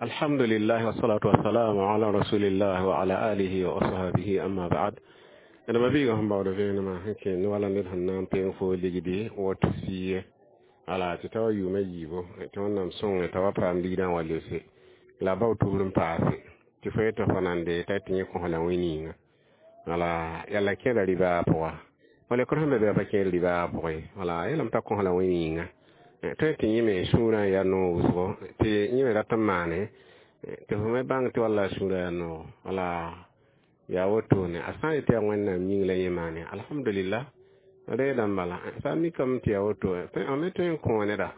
Alhamdulillah wassalatu wassalamu ala rasulillah wa ala alihi wa ashabihi, amma ba'd. D ma biiga sẽn baood vẽenemã sẽn kẽ ne wala ned sẽn na n peng fo ligdi woto fiye ala tɩ ta wa yʋʋma yiibu tɩ Wẽnnaam sõnge t'a wa paam ligdã n wa lebse la a bao tubr n paase tɩ fo yetɩ fo nande t'a tɩ yẽ kõ la wĩ-ninga wala yalla kẽeda rɩbaa pʋga fo lekr sẽn be bɩ a pa kẽed rɩbaa pʋgẽ wala yeelame t'a kõ la wĩ-ninga tõe tɩ yẽ me sũurã yaa noog wʋsgo tɩ yẽ me rat n maane tɩ fo me bãng tɩ walla sũurã yaa noog wala yaa wotone a sã n yetɩ yaa Wẽnnaam yĩng la yẽ maane, alhamdulillah, reedã n bala. Sã n mikame tɩ yaa woto, a me tõe n kõ neda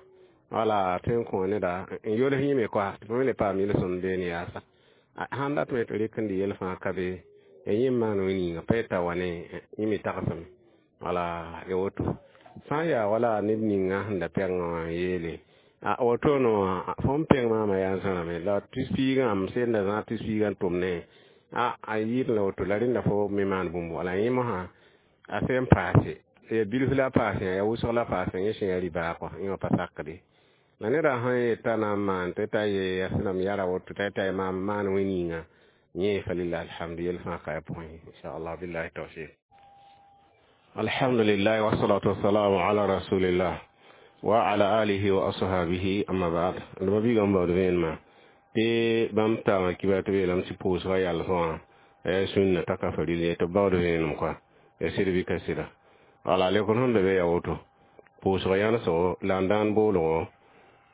wala tõe n kõ neda n yols yẽ me koa tɩ fo me le paam yel-sõmd beene yaasa. Sãn datame tɩ rɩk n dɩ yel fãa ka be yẽ n maan wĩ-ninga pa yeta wa ne yẽ me tagsame wala ya woto. Sã n yaa wala ned ninga sẽn da pɛngã wã n yeele a wotoone wã fo n pẽng maamã yaa n zãrame la tɩ piigã m senda zã tɩ piigã n tʋm ne a yɩɩd la woto la rẽnda fo me maan bũmb wala yẽ mosã a sẽn paase ya bilf la paase ya wʋsg la paase yẽ sẽn ya rɩbaa kɔ yẽ wã pa sakde la neda sãn yeta na n maan tɩ t'a ye ya sẽn yara woto t'a yeta maam maan wĩ-ninga yẽ falillah alhamdu yel fãa ka ya pʋgẽ inchallah billahi tawfiq. Alhamdulillah wassalatu wassalamu ala rasulillah wa ala alihi wa ashabihi, amma ba'd. D ma biigã n baood vẽenemã tɩ bãmb taama kibar tɩ b yeelame tɩ pʋʋsgã yalsẽ wã ya sũnna t'a ka faril ye tɩ b baood vẽenem koa ya sɩd bɩ ka sɩda wala lekr sẽn be be ya woto pʋʋsg yãnesgo la n dãan boolgo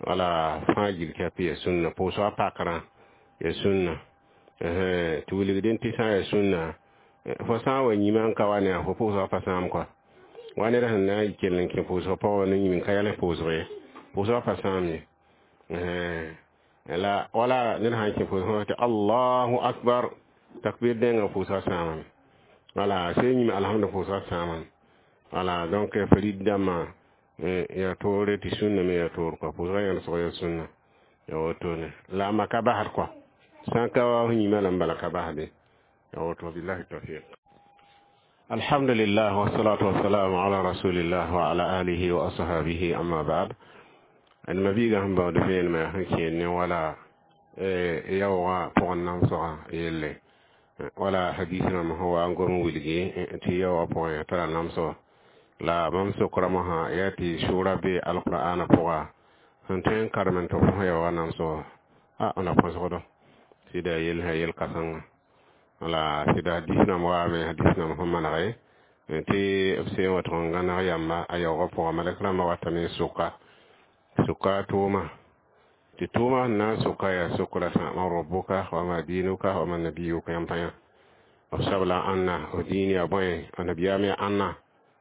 wala fãa gil kɛp ya sũnna pʋʋsgã pakrã ya sũnna tɩ wilgdẽ tɩ sã n ya sũnna fo sã n wa yĩmã n ka wa ne fo pʋʋsgã pa sãam koa wa ned sẽn na n kell n kẽ pʋʋsgã pʋgã ne yĩm n ka yals pʋʋsg ye pʋʋsgã pa sãam ye la wala ned sãn kẽ pʋʋsgã tɩ allahu akbar takbir dẽngã pʋʋsgã sãamame wala sẽn yĩm alhamdu pʋʋsgã sãamame wala. Donc farid dãmbã yaa toore tɩ sũnna me yaa toor kɔa pʋʋsgã yãnesg yaa sũnna ya wotone la a maka basd kɔa sã n ka wa f yĩmã la n bala ka basde ya woto billahi tawfiq. Alhamdulillah wassalatu wassalamu ala rasulillah wa ala alihi wa ashabihi, amma ba'd. D ma biigã sẽn baood vẽenemã sẽn kẽed ne wala yaoogã pʋgẽ namsgã yelle wala hadis rãmb sẽn wa n gom n wilgi tɩ yaoogã pʋgẽ tara namsgo la bãmb sokra mosã yaa tɩ sʋʋra be alqur'ana pʋga sẽn tõe n karem n tɩ fo yaoogã namsgo a na põsgdo sɩda yel sã yel kãsenga wala sɩda hadis rãmb waame hadis rãmb sẽn manege tɩ b seen wa tʋg n gãneg yamba a yaoogã pʋga malɛk rãmbã watame n soka soka tʋʋma tɩ tʋʋma sẽn na n soka yaa sokra sã man rabbuka wa ma dinuka wa ma nabiyuka yãmb pa yã b sabla ãnna f diin yaa bõe a nabiyaam yaa ãnna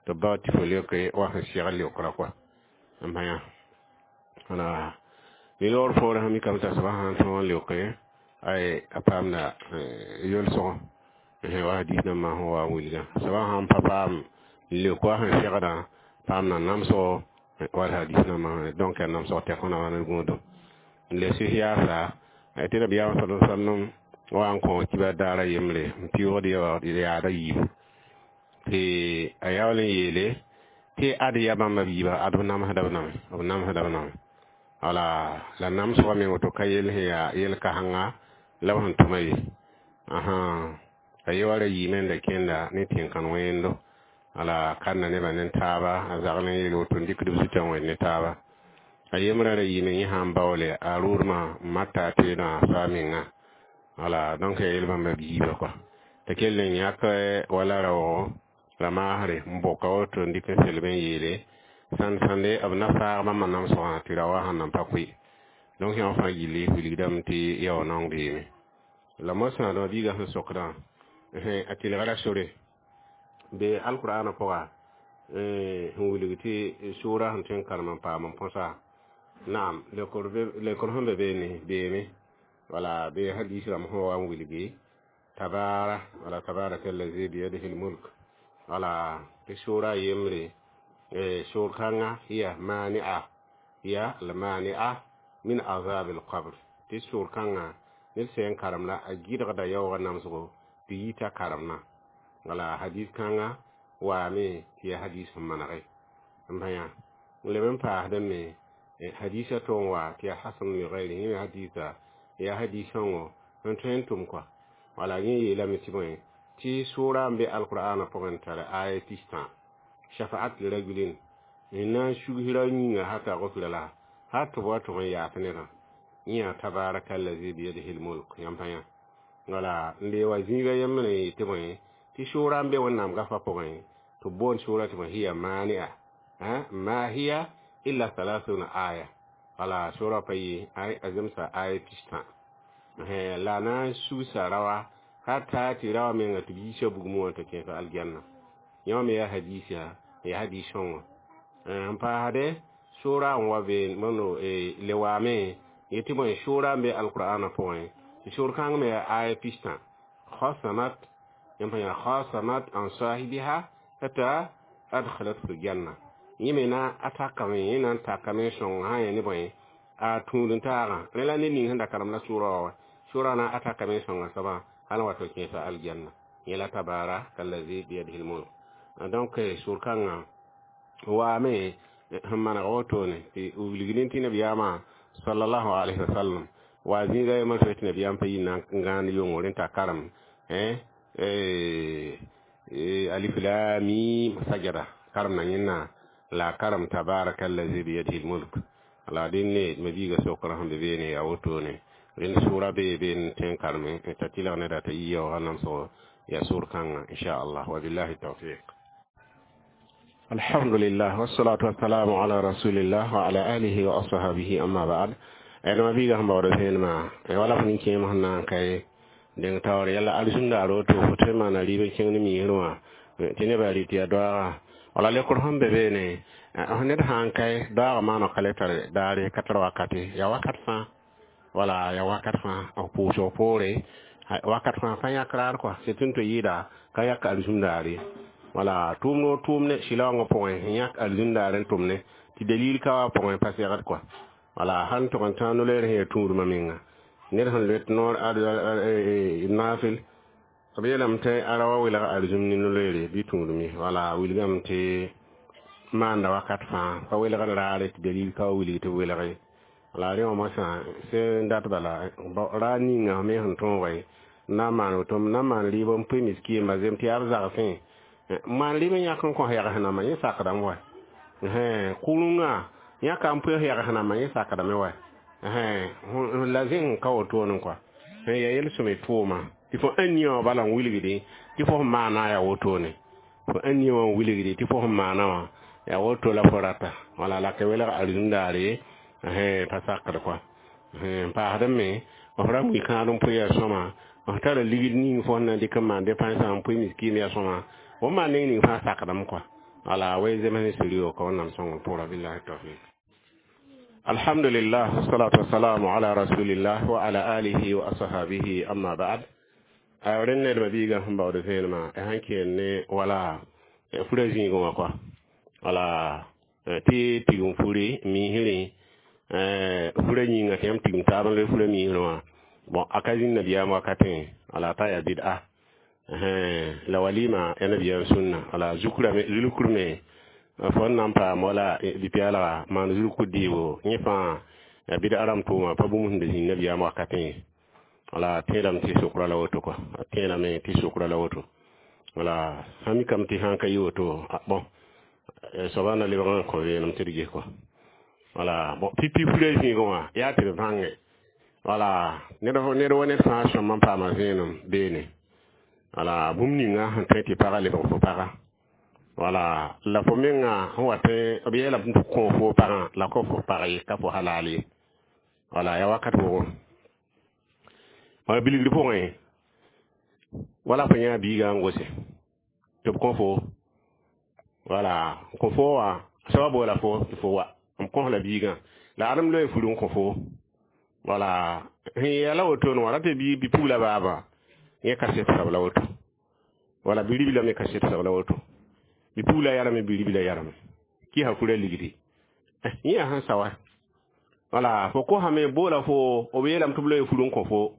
tɩ b bao tɩ fo leoke wa sẽn segl leokra koa n pa yã wala ni loor poorẽ sẽn mikame t'a soaba sãn tõog n leoke ay a paamda yolsgo wa hadis nambã sẽn wa n wilgã soaba sãn pa paam n leok wa sẽn segdã paamda namsgo wala hadis nambã. Donc yaa namsg tɛk na wa ne gũudum n le sis yaasa tɩ nabiyaam sa sallam wa n kõ kibar daara yembre n pɩʋʋgd yaada yiibu tɩ a yaool n yeele tɩ ad ya bãmba biiba ad b namsda b name b namsda b name wala la namsgã me woto ka yel sẽn yaa yel-kãsenga la b sẽn tʋma ye a ye wa ra yiime n da kẽnda ne tẽn-kãn wẽendo wala kanda nebã ne taaba a zagl n yeel woto n dɩkd b zutã n wẽnd ne taaba a yembrã ra yiime yẽ sã n baoole a rʋʋdmã n mata a teedã a saa menga wala. Donc ya yel bãmba biiba kɔa t'a kell n yãk wala raoogo la maasre n boka woto n dɩk n selb n yeele sãnd sãnde b na faag bãmba namsgã tɩ ra wa sẽn nan pa koe. Donc yã fãa gilli wilgdame tɩ yao naong beeme la mosã dõ biigã sẽn sokdã a tɩlgra sore be alqur'ana pʋga sẽn wilg tɩ sʋʋra sẽn tõe n karem n paam n põsa naam lekr sẽn be beene beeme wala be hadis rãmb sẽn wa n wilgi tabara wala tabaraka allazi biyadihi lmulk wala tɩ sʋʋra yembre sʋʋr kãnga hiya mani'a hiya almani'a min azab alqabr tɩ sʋʋr kãnga ned sẽn karem la a gɩdgda yaoogã namsgo tɩ yita karemna wala hadis kãnga waame tɩ yaa hadis sẽn manege n pa yã n leb n paasdame hadisa to n wa tɩ yaa hasan li gayrihi hadisa Yaa hadiisã wã n tõe n tʋm kɔa. Wala yẽ yeelame tɩ bõe tɩ sʋʋra n be alqur'ana pʋgẽ n tar aya pistã shafaat li rajulin n na n sugsra yĩnga hata gufira la hal tɩ b wa tʋg n yaas nedã. Yẽ yaa tabaraka allazi biyadihi lmulk yãmb pa yã. Wala n le wa zĩiga yembre n yetɩ bõe tɩ sʋʋra n be Wẽnnaam gafa pʋgẽ tɩ b boond sʋʋra tɩ bõe hiya mani'a ma hiya illa thalathuna aya. Wala sʋʋra pa yɩ a zemsa aya pistã la na n sugsa raoa hata tɩ raoã menga tɩ b yiisa bugmẽ wã t'a kẽesa aljanna. Yẽ me yaa hadiisa, yaa hadiis sõngo. N paasde sʋʋra n wa be mono le waame yetɩ bõe sʋʋra n be alqur'ana pʋgẽ tɩ sʋʋr kãng me yaa aya pistã khasamat yãmb pa yã khasamat an sahibiha hata adkhalat fi ljanna. Yẽ me na a takame, yẽ na n takame sõng sã n yaa ne bõe a tũud n taagã. Rẽ la ned ning sẽn da karem la sʋʋra wa sʋʋra na a takame sõnga soabã hal n wa tɩ kẽesa aljanna. Yẽ la tabaraka allazi biyadihi lmulk. Donc sʋʋr kãngã waame sẽn maneg wotone tɩ wilgdẽ tɩ nabiyaamã sallallahu alayhi wa sallam wa zĩiga yembr tɩ nabiyaam pa yi na n gãand yʋngo rẽ t'a karem alif lam mim sajada karem na yẽnna la karem tabaraka allazi biyadihi lmulk. La dẽnne mabiiga sokr sẽn be beene yaa wotone rẽnd sʋʋra bee be n tõe n kareme t'a tɩlg neda t'a yi yaoogã namsgo yaa sʋʋr kãngã inchallah. Wa billahi tawfiq. Alhamdulillah wassalatu wassalamu ala rasulillah wa ala alihi wa ashabihi, amma ba'd. Ẽdma biiga sẽn baood vẽenemã wala f nin-kẽem sẽn na n kae deng taoor yala alizũndaar woto fo tõe n maana rɩɩb n kẽng ne miisr wã tɩ nebã rɩ tɩ yaa doaaga. Wala lekr sẽn be beene ned sã n kae doaagã maana ka le tar daare ka tar wakate yaa wakat fãa. Wala yaa wakat fãa f pʋʋsg poore wakat fãa pa yãk raar kɔa sɩd tɩ n tɩ yɩɩda ka yak alizũndaar ye. Wala tʋʋm noor tʋʋm ne sɩlaoongã pʋgẽ n yãk alizũndaar n tʋm ne tɩ dalil ka wa pʋgẽ pa segd kɔa. Wala sãn tʋg n tã no-loeer sẽn yaa tũudmã menga ned sẽn loet noor naafɩl b yeelame tɩ a ra wa welg alizũm ne no-loeere bɩ tũudme. Wala wilgame tɩ maanda wakat fãa pa welgd raare tɩ dalil ka wa wilg tɩ b welg ye. Wala rẽ wã moasã sẽn dat bala raar ninga me sẽn tõoge n na n maan woto n na n maan rɩɩb n pʋɩ miskiimba zem tɩ yaa b zagsẽ maan rɩɩb n yãk n kõs yags nambã yẽ sakdame wa kʋrengã yãka n pʋɩs yags nambã yẽ sakdame wa la zẽng ka wotone kɔa yaa yel-sõme tʋʋma tɩ fo ãn nia wã bala n wilgde tɩ fo sẽn maana yaa wotone fo ãn nia wã n wilgde tɩ fo sẽn maana wã yaa woto la fo rata. Wala la ka welg alizũndaare pa sakd kɔa. N paasd me f ra mui kãad n pʋɩ yaa sõma f tara ligd ning fo sẽn na n dɩk n maan depãnsã n pʋɩ miskiim yaa sõma fo maan neng ning fãa sakdame kɔa. Wala wa zems ne suri ka Wẽnnaam sõng pʋgra. Billahi tawfiq. Alhamdulillah wassalatu wassalamu ala rasulillah wa ala alihi wa ashabihi, amma ba'd. A rẽnd nedmã biigã sẽn baood vẽenemã sãn keen ne wala fura zĩigẽ wã kɔa. Wala tɩ tigim furi miisrẽ fura yĩnga tɩ yãmb tigim taab n loe fura miisrẽ wã bon a ka zĩnd nabiyaam wakatẽ wala t'a yaa bid'a la walima ya nabiyaam sũnna. Wala zulkur me fo n na n paam wala bɩ-pɛɛlga maan zulkur dɩɩbo yẽ fãa ya bid'a rãmb tʋʋma pa bũmb sẽn da zĩnd nabiyaam wakatẽ. Wala tẽedame tɩ sokra la woto kɔa, a tẽedame tɩ sokra la woto. Wala sã mikame tɩ sãn ka yɩ woto bon soaba na lebg n kõ vẽenem tɩ d ges kɔa. Wala bon pipi fura zĩigẽ wã yaa tɩ d bãnge wala ned wa ned fãa sõm n paama vẽenem beene. Wala bũmb ninga sẽn tõe tɩ pagã lebg fo paga wala la fo menga sẽn wa tõe b yeelame tɩ kõ fo pagã la ka fo pag ye ka fo halal ye. Wala yaa wakat wʋgo wala bilgr pʋgẽ wala fo yã biiga n gose tɩ b kõ fo wala kõ fo wã soaba boola fo tɩ fo wa m kõs la biigã la adem loe fur n kõ fo. Wala sẽn yɛla wotone wã ra tɩ bi-pugla baaba yẽ kaset sab la woto wala bi-ribla me kaset sab la woto bi-pugla yarame bi-ribla yarame kɩsa fura ligdi yẽ yaa sẽn sa wa. Wala fo kosame boola fo b yeelame tɩ b loe fur n kõ fo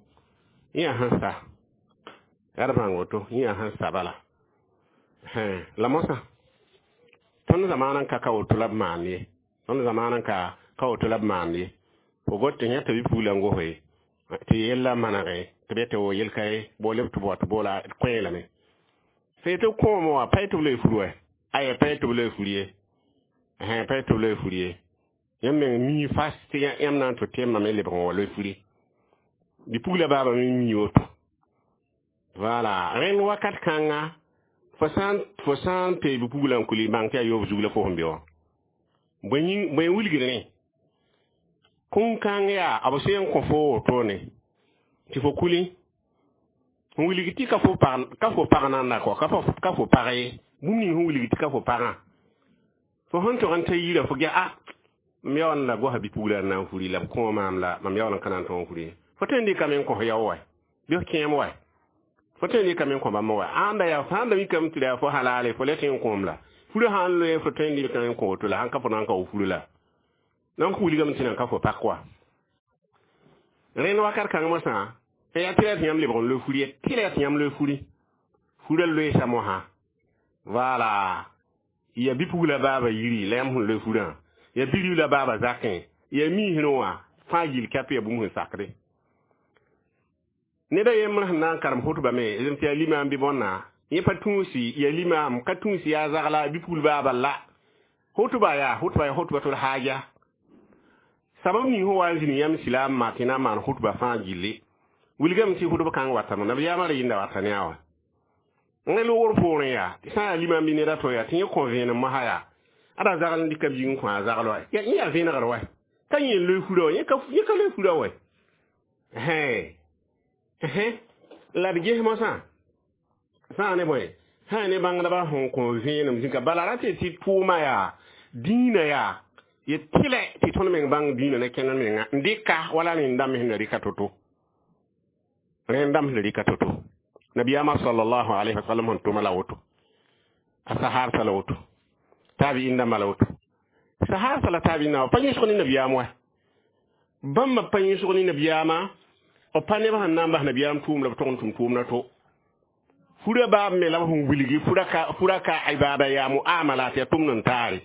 yẽ yaa sẽn sa yaa d bãng woto yẽ yaa sẽn sa bala la mosã tõnd zamaana n ka ka woto la b maan ye tõnd zamaana n ka woto la b maan ye fo got tɩ yã t'a bi-pugla n gose Tɩ yella manege tɩ be tɩ wo yel-ka ye bo leb tɩ b wa tɩ boola d kõ lame. Fo tɩ kõomo wã pa tɩ b loe fur wɛ? Aya, pa tɩ b loe fur ye. Pa tɩ b loe fur ye. Yãmb meng mii fas tɩ yãmb na n tʋ tẽmbã me lebg n wa loe furi. Bipugla baaba me mi woto. Voilà, rẽnd wakat kãnga fo sã n pee bipugla n kuli bãng tɩ yaa yoob zug la fo sẽn be wã. Bõe wilgd rẽ? Kũn-kãng yaa b sẽn n kõ fo wotone tɩ fo kuli n wilg tɩ ka fo pag nanda kɔ, ka fo pag ye. Bũmb ning sẽn wilg tɩ ka fo pagã, fo sẽn tog n ta yira fo gɛ a mam yaool n la gosa bipugla n na n furi la b kõo maam la mam yaool n ka na n tõog n furi. Fo tõe n dɩkame n kõ yao wɛ bɩ f kẽem wɛ? Fo tõe n dɩkame n kõ bãmb wɛ? Ãnda yaa sãn da mikame tɩ yaa fo halale fo le tɩ n kõom la furi sãn loe fo tõe n dɩkame n kõ woto la sãn ka fo na n ka wo furi la. Donc wilgame tɩ nan ka fo pak wa. Rẽnd wakat kãng mosã yaa tɩ la tɩ yãmb lebg n loe furi ye, tɩ la tɩ yãmb loe furi. Furã loeesa mosã. Voilà. Ya bipugla baaba yiri la yãmb sẽn loe furã. Ya biribla baaba zakẽ. Ya miisrẽ wã fãa gill kap ya bũmb sẽn sakde. Ned a yembr sẽn na n karem hotba me tɩ yaa limaam bɩ bõnna, yẽ pa tũusi ya limaam, ka tũusi yaa zagla bipugl baaba la. Hotba yaa hotba ya hotbatul haaja. Sabab ning sẽn wa n zĩnd yãmb silaamã tɩ na n maan hotba fãa gilli. Wilgame tɩ hotb kãng watame, nabiyaamã ra yĩnda wata ne a wã. Rẽ loogr poorẽ yaa, tɩ sã n yaa limaam bɩ ned a to yaa, tɩ yẽ kõ vẽenem mosã yaa, ada zagl n dɩka biig n kõ a zagl wa. Yẽ yaa vẽenegr wɛ. Ka yẽ loe furã wã, yẽ ka loe furã wɛ. La d ges mosã, sã n ne bõe, sã n ne bãngdbã sẽn kõ vẽenem zĩka, bala ra tɩ tɩ tʋʋma yaa, dĩinã yaa, ye tɩlɛ tɩ tõnd meng bãng dĩinã ne kẽnd menga n dɩka wala rẽnd dãmb sẽn da rɩka to-to. Rẽnd dãmb sẽn da rɩka to-to. Nabiyaamã sallallahu alayhi wa sallam sẽn tʋma la woto. A sahaabsã la woto. Taabi'in dãmbã la woto. Sahaabsã la taabi'in dãmbã pa yẽsg ne nabiyaam wɛ. Bãmba pa yẽsg ne nabiyaamã, b pa neb sẽn na n bas nabiyaam tʋʋm la b tog n tʋm tʋʋmdã to. Furã baab me la b sẽn wilgi furã ka ibada yaa muamalat yaa tʋmd n taare.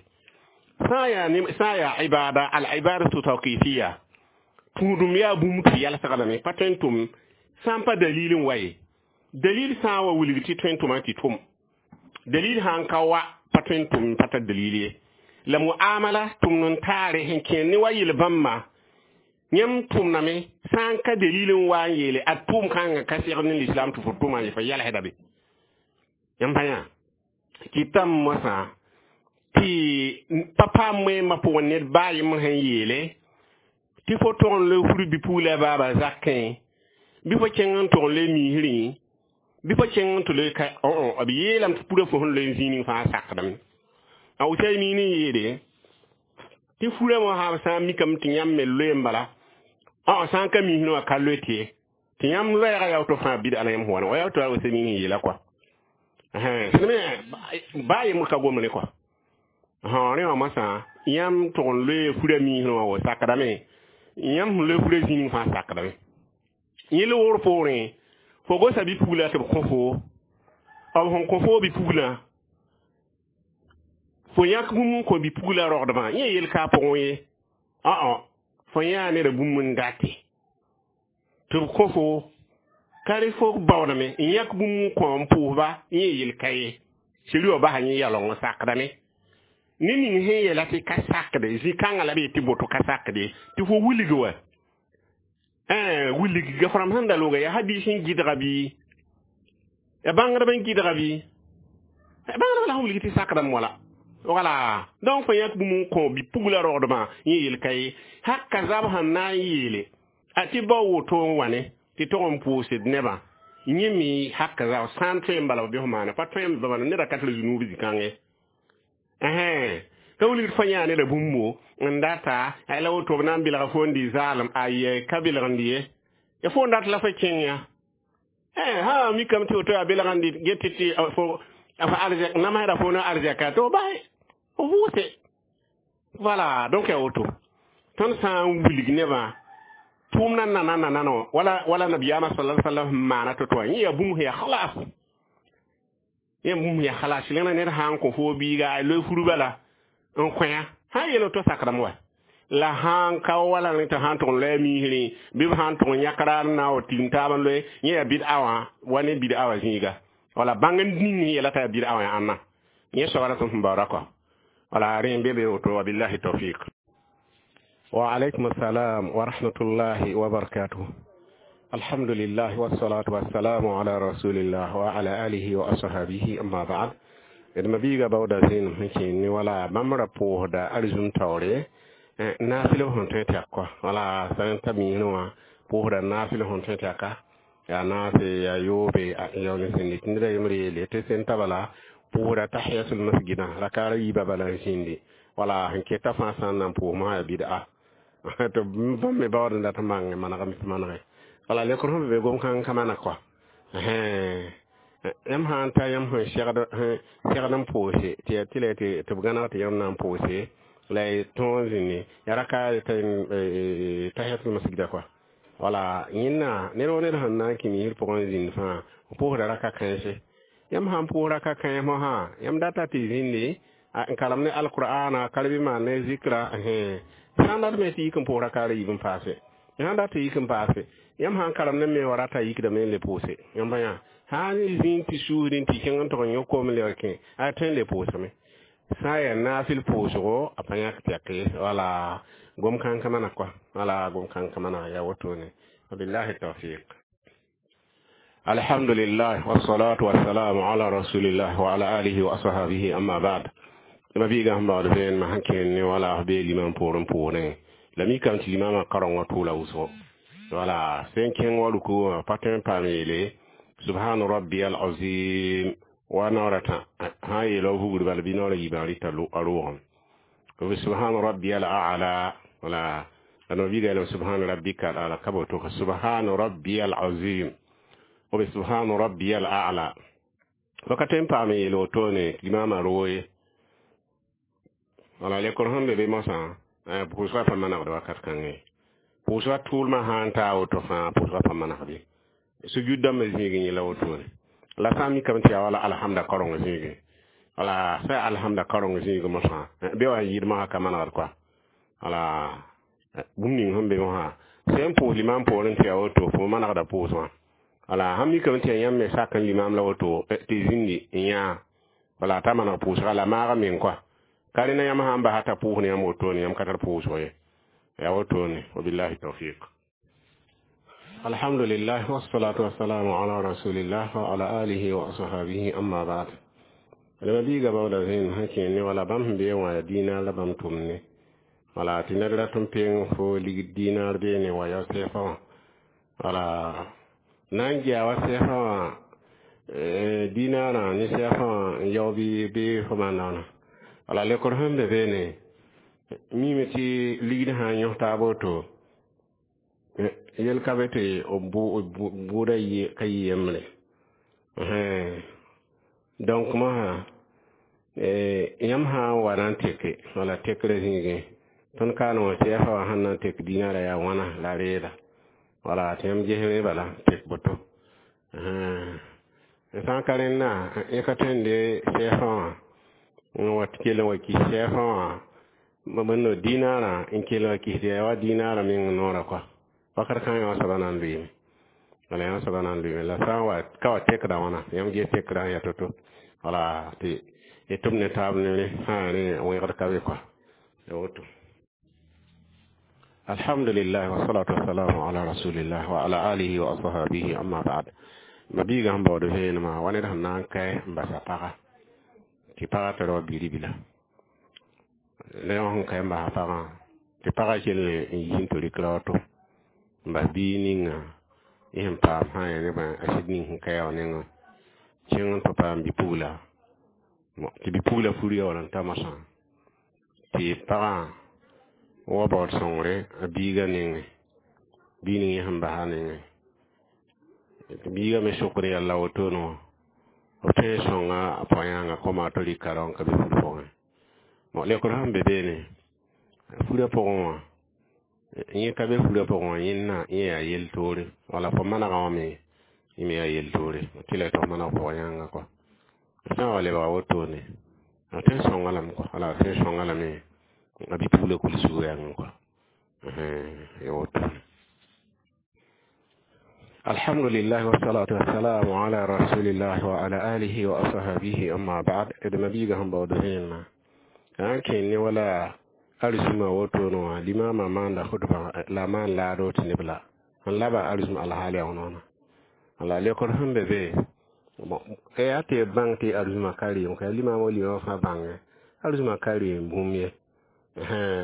Sã n yaa ibada, al ibadatu tawqifiya, tũudum yaa bũmb tɩ yalsgdame, pa tõe n tʋm sã n pa dalil n wa ye. Dalil sã n wa wilg tɩ tõe n tʋma tɩ tʋm. Dalil sã n ka wa pa tõe n tʋm pa tar dalil ye. La muamala tʋmd n taare sẽn kẽer ne wa yel-bãmba, yãmb tʋmdame sã n ka dalil n wa n yeele a tʋʋm kãngã ka segd ne l'islam tɩ fo tʋma ye fo yɛlsda be. Yãmb pa yã kɩtame mosã tɩ pa paam wẽembã pʋgẽ ned baa yembr sẽn yeele tɩ fo tog n loe fur bipugla baaba zakẽ, bɩ fo kẽng n tog n loe miisrẽ, bɩ fo kẽng n tɩ loe ka b yeelame tɩ purã fo sẽn loe zĩig ning fãa sakdame. A Usaymin n yeele tɩ furã mosã sã n mikame tɩ yãmb me loe n bala, sã n ka miisrẽ wã ka loe tɩ ye. Tɩ yãmb loɛɛgã yaa woto fãa bɩd-a la yãmb sẽn wa wa yaa woto a Usaymin n yeela kɔa. Baa yembr ka gomd ne kɔa. Rẽ wã mosã yãmb tog n loe furã miisrẽ wã wa sakdame, yãmb sẽn loe furã zĩig ning fãa sakdame. Yẽ loogr poorẽ, fo gosa bipugla tɩ b kõ fo, b sẽn kõ fo bipugla, fo yãk bũmb n kõ bipugla rogdbã, yẽ yel ka a pʋgẽ ye. Fo yãa neda bũmb n date tɩ b kõ fo, ka rẽ fo baoodame n yãk bũmb n kõ n pʋʋsba, yẽ yel ka ye. Seri wã basa yẽ yaooleng n sakdame. Ne ning sẽn yeela tɩ ka sakde, zĩ-kãngã la b yet tɩ boto ka sakde, tɩ fo wilg wa. Wilg gafram sẽn da loga yaa hadis n gɩdga bɩ, ya bãngdb n gɩdga bɩ, bãngdb la sẽn wilg tɩ sakdame wala. Voilà. Donc fo yãk bũmb n kõ bipugla rogdbã, yẽ yel ka ye. Haka zab sẽn na n yeele, a tɩ bao woto n wa ne, tɩ tog n pʋʋsd nebã. Yẽ me haka zab sã n tõe n bala b bɩ f maana, pa tõe n bala neda ka tɩ zunuub zĩ-kãngẽ. Ka wilgd fo yãa neda bũmbo n data, la woto b na n belga fo n dɩ zaalem, aye ka belgend ye. Ya fo n dat la fo kẽng ya. Ha mikame tɩ woto yaa belg n dɩ get tɩ fo arzɛk namsda fo na arzɛka tɩ f basɛ, f vʋʋse. Voilà, donc yaa woto. Tõnd sã n wilg nebã tʋʋmdã nana nana wala nabiyaamã sallallahu alaihi wasallam sẽn maana to-to wã, yẽ yaa bũmb sẽn yaa khalas. Yẽ bũmb sẽn yaa khalas. Rẽna ned sã n kõ fo biiga a loe fur bala n kõ-yã, sã n yeel to sakdame wa. La sãn ka wala rẽ tɩ sãn tʋg n loe miisrẽ bɩ b sãn tʋg n yãk raar n na n wa tigim taab n loe, yẽ yaa bɩd-a wã wa ne bɩd-a wã zĩiga. Wala bãng n ning yɛla t'a yaa bɩd-a wã ãnna. Yẽ soaba la tõnd sẽn baooda kɔ. Wala rẽ n be be woto, wabillahi tawfiq. Wa alaykum assalam wa rahmatullahi wa barakatuh. Alhamdulillah wassalatu wassalamu ala rasulillah wa ala alihi wa ashabihi, amma ba'd. D mabiiga baooda zẽenem sẽn kẽen ne wala bãmb ra pʋʋsda arzũm taoore naafɩl sẽn tõe tɩ yak kɔa. Wala sã n ta miisrẽ wã pʋʋsda naafɩl sẽn tõe tɩ yaka yaa naase yaa yoobe yao ne sẽn tɩ ned a yembr yeele tɩ sẽn ta bala pʋʋsda tahiyatul masjidã rakaara yiibã bala n zĩndi. Wala sẽn keta fãa sã n na n pʋʋs mosã yaa bɩd'a tɩ bãmb me baood n dat n bãng manegame tɩ manege. Wala lekr sẽn be gom kãng ka maneg kɔa. Yãmb sã n ta yãmb sẽn segd n pʋʋse tɩ yaa tɩ la tɩ b gãneg tɩ yãmb na n pʋʋse la y tõog n zĩndi yaa raka tahiyatul masjida kɔa. Wala yẽnna ned wa ned sẽn na n kẽ miisr pʋgẽ n zĩnd fãa pʋʋsda raka kãense. Yãmb sãn pʋʋs raka kãens mosã, yãmb data tɩ zĩndi n karem ne alqur'ana karbi maan ne zikra. Sã n dat me tɩ yik n pʋʋs rakaara yiib n paase, sãn dat tɩ yik n paase, yãmb sãn karem ne me wa rata yikdame n le pʋʋse. Yãmb yã sã n zĩnd tɩ suusdẽ tɩ kẽng n tʋg n yõ koom n lebg kẽ a tõe n le pʋʋsame. Sã n yaa naafɩl pʋʋsgo a pa yãk tɩ yak ye. Wala gom kãng ka maneg kɔa. Wala gom kãng ka maneg yaa wotone. Wabillahi tawfiq. Alhamdulillah wassalatu wassalamu ala rasulillah wa ala alihi wa ashabihi, amma ba'd. Ma biiga sẽn baood vẽenemã sẽn kẽen ne wala f bee limam poorẽ poorẽ la mikame tɩ limamã kareng wã tʋʋla wʋsgo. Wala sẽn kẽng wa ruku wã pa tõe n paam yeele subhana rabbiyal azim wa naoora tã sã n yeela vugr bala bɩ naoora yiibã rɩta a roogame subhana rabbiyal a'la. Wala la no biiga yeelame subhana rabbika al a'la ka boto ka subhana rabbiyal azim b subhana rabbiyal a'la wakat n paam n yeel wotone limamã rooye. Wala lekor sẽn be be mosã pʋʋsgã pa manegd wakat kãngẽ pʋʋsgã tʋʋlmã sã n taa woto fãa pʋʋsgã pa manegd ye. Sujud dãmbã zĩigẽ yẽla wotone la sã n mikame tɩ yaa wala alhamda kaoreng zĩigẽ. Wala sã yaa alhamda kaoreng zĩigẽ mosã be wa n yɩɩd mosã ka manegd kɔa. Wala bũmb ning sẽn be mosã sẽn pʋʋs limam poorẽ tɩ yaa woto fo manegda pʋʋsgã. Wala sãn mikame tɩ yaa yãmb me sak n limam la woto tɩ zĩndi n yãa wala t'a maneg pʋʋsga la maaga meng kɔa. Ka rẽna yãmb sãn basa t'a pʋʋs ne yãmb wotone yãmb ka tar pʋʋsg ye yaa wotone. Wabillahi tawfiq. Alhamdulillah wassalatu wassalamu ala rasulillah wa ala alihi wa ashabihi, amma ba'd. Lama biiga baooda zẽen sẽn kẽen ne wala bãmb sẽn bee wã yaa dĩinar la bãmb tʋmd ne. Wala tɩ ned rat n peng fo ligd dĩinar beene wa yao sɛɛfã wã. Wala na n gea wa sɛɛfã wã dĩinarã ne sɛɛfã wã n yao bɩ bɩ fo maanda wãna. Wala lekr sẽn be beene miime tɩ ligd sã n yõs taab woto yel ka be tɩ bʋʋda ka yɩ yembre. Donc mosã yãmb sã n wa na n teke wala tekrã zĩigẽ tõnd kaane wã sɛɛfã wã sẽn na n tek dĩinarã yaa wãna la reeda. Wala tɩ yãmb ges rẽ bala tek boto sã n ka rẽnna yẽ ka tõe n de sɛɛfã wã n wa kell n wa kis sɛɛfã wã bõndo dĩinarã n kell wa kis tɩ yaa wa dĩinarã meng noorã kɔa. Wakat kãngã yã soaba na n lʋɩɩme. Wala yã soaba na n lʋɩɩme la sã n wa ka wa tekda wãna yãmb ges tekrã n yaa to-to. Wala tɩ y tʋm ne taab ne rẽ sã rẽ wẽgd ka be kɔa ya woto. Alhamdulillah wassalatu wassalamu ala rasulillah wa ala alihi wa ashabihi, amma ba'd. Ma biiga sẽn baood vẽenemã wa ned sẽn na n kae n basa paga tɩ pagã tara wa bi-ribla la yã sẽn kae n basa pagã tɩ pagã kell n yi n tɩ rɩk ra wato n bas biig ninga y sẽn paam sã n yaa nebã a sɩd ning sẽn ka yaa wã nengẽ kẽng n tɩ paam bi-pugla tɩ bi-pugla fur ya wala n ta mosã tɩ pagã wa baood sõngre a biigã nengẽ biig ning yẽ sẽn basa nengẽ tɩ biigã me sokd yalla wotone wã b tõe n sõnga a pao-yãngã koma tɩ rɩka rao n ka be fur pʋgẽ. Lekr sẽn be beene furã pʋgẽ wã yẽ ka be furã pʋgẽ wã yẽnna yẽ yaa yel-toore. Wala fo manegã wã me yẽ me yaa yel-toore tɩ la y tɩ f maneg pʋg-yãngã kɔa sã n wa lebga wotone a tõe n sõnga lame kɔa. Wala a tõe n sõnga lame a bi-pugla kul sugr yãngẽ kɔa. Ya woto. Alhamdulillah, wassalatu wassalamu ala rasulillah wa ala alihi wa ashabihi, amma ba'd. D mabiiga sẽn baood vẽenemã n kẽen ne wala arzuma woto wã, limama maanda khutba la maan laado tɩ neb la n laba arzum alhaali a wãna. La lekr sẽn be be, bon, yaa tɩ bãng tɩ arzuma ka reem ka limama, limama fãa bãnge arzuma ka reem bũmb ye.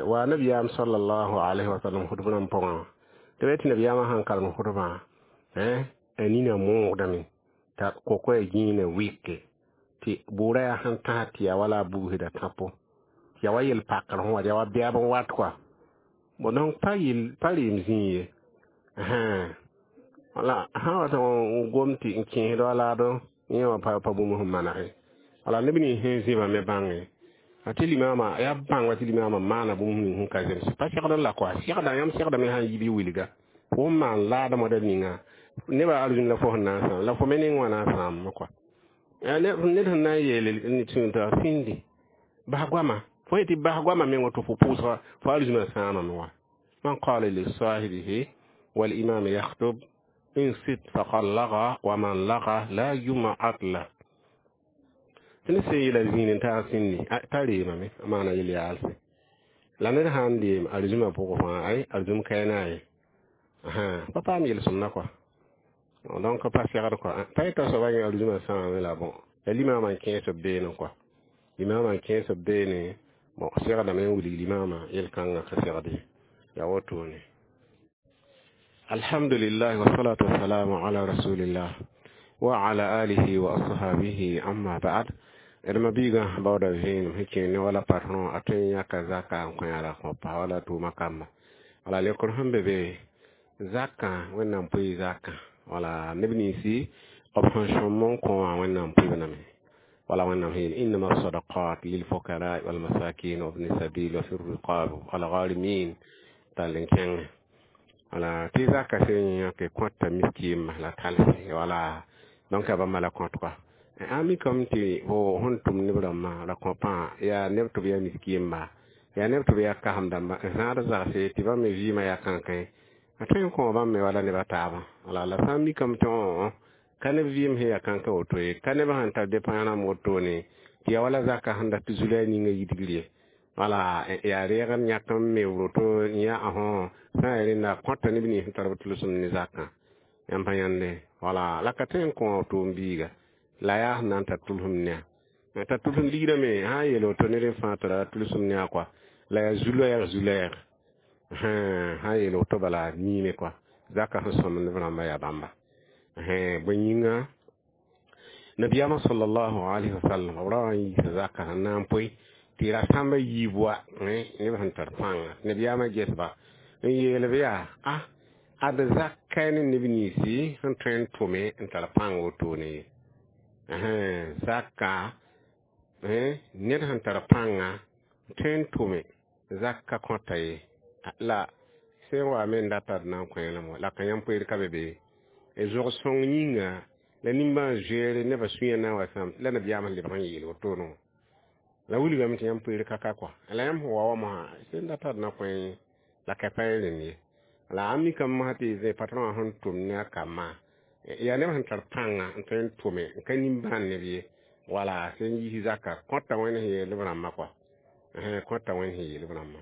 Wa nabiyaam sallallahu alaihi wasallam khutb rãmb pʋgã, tɩ be tɩ nabiyaamã sãn karem khutbã, a nina moogdame t'a kokoya gĩinã wike tɩ bʋʋra yaa sẽn tãs tɩ yaa wala a bugsda tãpo, tɩ yaa wa yel-pakr sẽn wa, yaa wa bɛɛb n wat kɔa. Bon, donc pa yel pa reem zĩig ye. Wala sã wa n gom tɩ n kẽesd wa laado yẽ wã pa bũmb sẽn manege. Wala neb nins sẽn zĩba me bãnge a tɩ limama yaa bãngba tɩ limama maana bũmb ning sẽn ka zems, pa segd la kɔa segda. Yãmb segdame sã n yi bɩ wilga fo n maan laadã moda ninga nebã arzũn la fo sẽn na n sãam la fo me neng wã na n sãamame kɔa. Ned sẽn na n yeele t'a sĩndi bas goama, fo yetɩ bas goama meng woto fo pʋʋsga fo arzũmã sãamame wa. Man qala li sahibihi wal imam yakhtub insit faqad laga, wa man laga la jum'at la. Tɩ ned sẽn yeela zĩig n taag sĩndi t'a reemame a maana yel-yaalse la ned sã n deem arzũmã pʋgẽ fãa, ay arzũm kaɛna ye pa paam yel-sõmda kɔa. Donc pa segd kɔa, pa yeta soaba yẽ arzũmã sãamame la. Bon, la limamã n kẽes b beene kɔa, limamã n kẽes b beene. Bon, segdame n wilg limamã yel-kãngã ka segd ye, yaa wotone. Alhamdulillah, wassalatu wassalamu ala rasulillah wa ala alihi wa ashabihi, amma ba'd. D mabiigã baooda vẽenem sẽn kẽer ne wala patron a tõe n yãka zaka n kõ yãra kõ pa wala tʋʋma kamba. Wala lekr sẽn be be, zakã Wẽnnaam pʋɩ zakã, wala neb ninsi b sẽn sõm n kõ wã, Wẽnnaam pʋɩb lame. Wala Wẽnnaam sẽn yeel: innama sadaqat lilfukara walmasakin wa ibni sabil wa fi riqab walgharimin, tall n kẽngẽ. Wala tɩ zaka sẽn yãke kõta miskiimã la talse. Wala donc yaa bãmba la kõt kɔa. A mikame tɩ fo sẽn tʋm neb rãmbã ra kõ pãa yaa neb tɩ b yaa miskiimba, yaa neb tɩ b yaa kasem dãmba n zãad zagse tɩ bãmb me vɩɩmã yaa kãnkẽ, a tõe n kõ bãmb me wala neb a taabã. Wala la sã n mikame tɩ ka neb vɩɩm sẽn yaa kãnkã woto ye, ka neb sẽn tar depãs rãmb wotone tɩ yaa wala zaka sẽn dat tɩ zulã ninga yidgr ye. Wala yaa reeg n yãk n me woto yã sã n yaa rẽnda kõta neb nins sẽn tar b tʋlsem ne zakã yãmb pa yãnde. Wala la ka tõe n kõ tʋʋm biiga la yaa sẽn na n tar tʋlsem ne, tar tʋlsem ligrã me sã n yeel woto ned n fãa tara tʋlsem ne a kɔa la yaa zu-loɛɛg zu-loɛɛg sã n yeel woto bala miime kɔa zaka sẽn sõmd neb rãmbã yaa bãmba. Bõe yĩnga nabiyaamã sallallahu alaihi wasallam b ra wa n yiisa zaka sẽn na n poe tɩ ra sãmba yiib wa neb sẽn tar pãnga. Nabiyaamã gesba n yeel b yaa a ad zaka ne neb ninsi sẽn tõe n tʋme n tar pãng wotone ye. Zaka ned sẽn tar pãnga tõe n tʋme zaka kõta ye la sẽn wa me n data d na n kõ la ka yãmb poeer ka be be zog sõng yĩnga la nimbãan zoeere nebã sũyã na n wa sãam la nabiyaamã lebg n yeel wotone la wilgame tɩ yãmb poeer ka ka kɔa la yãmb sẽn wa wa mosã sẽn data d na kõ la ka pa rẽnd ye. La a mikame mosã tɩ zẽ patron wã sẽn tʋm ne a kambã yaa neb sẽn tar pãnga n tõe n tʋme n ka nimbãan neb ye. Wala sẽn yiis zaka kõta Wẽnd sẽn yeel b rãmbã kɔa, kõta Wẽnd sẽn yeel b rãmbã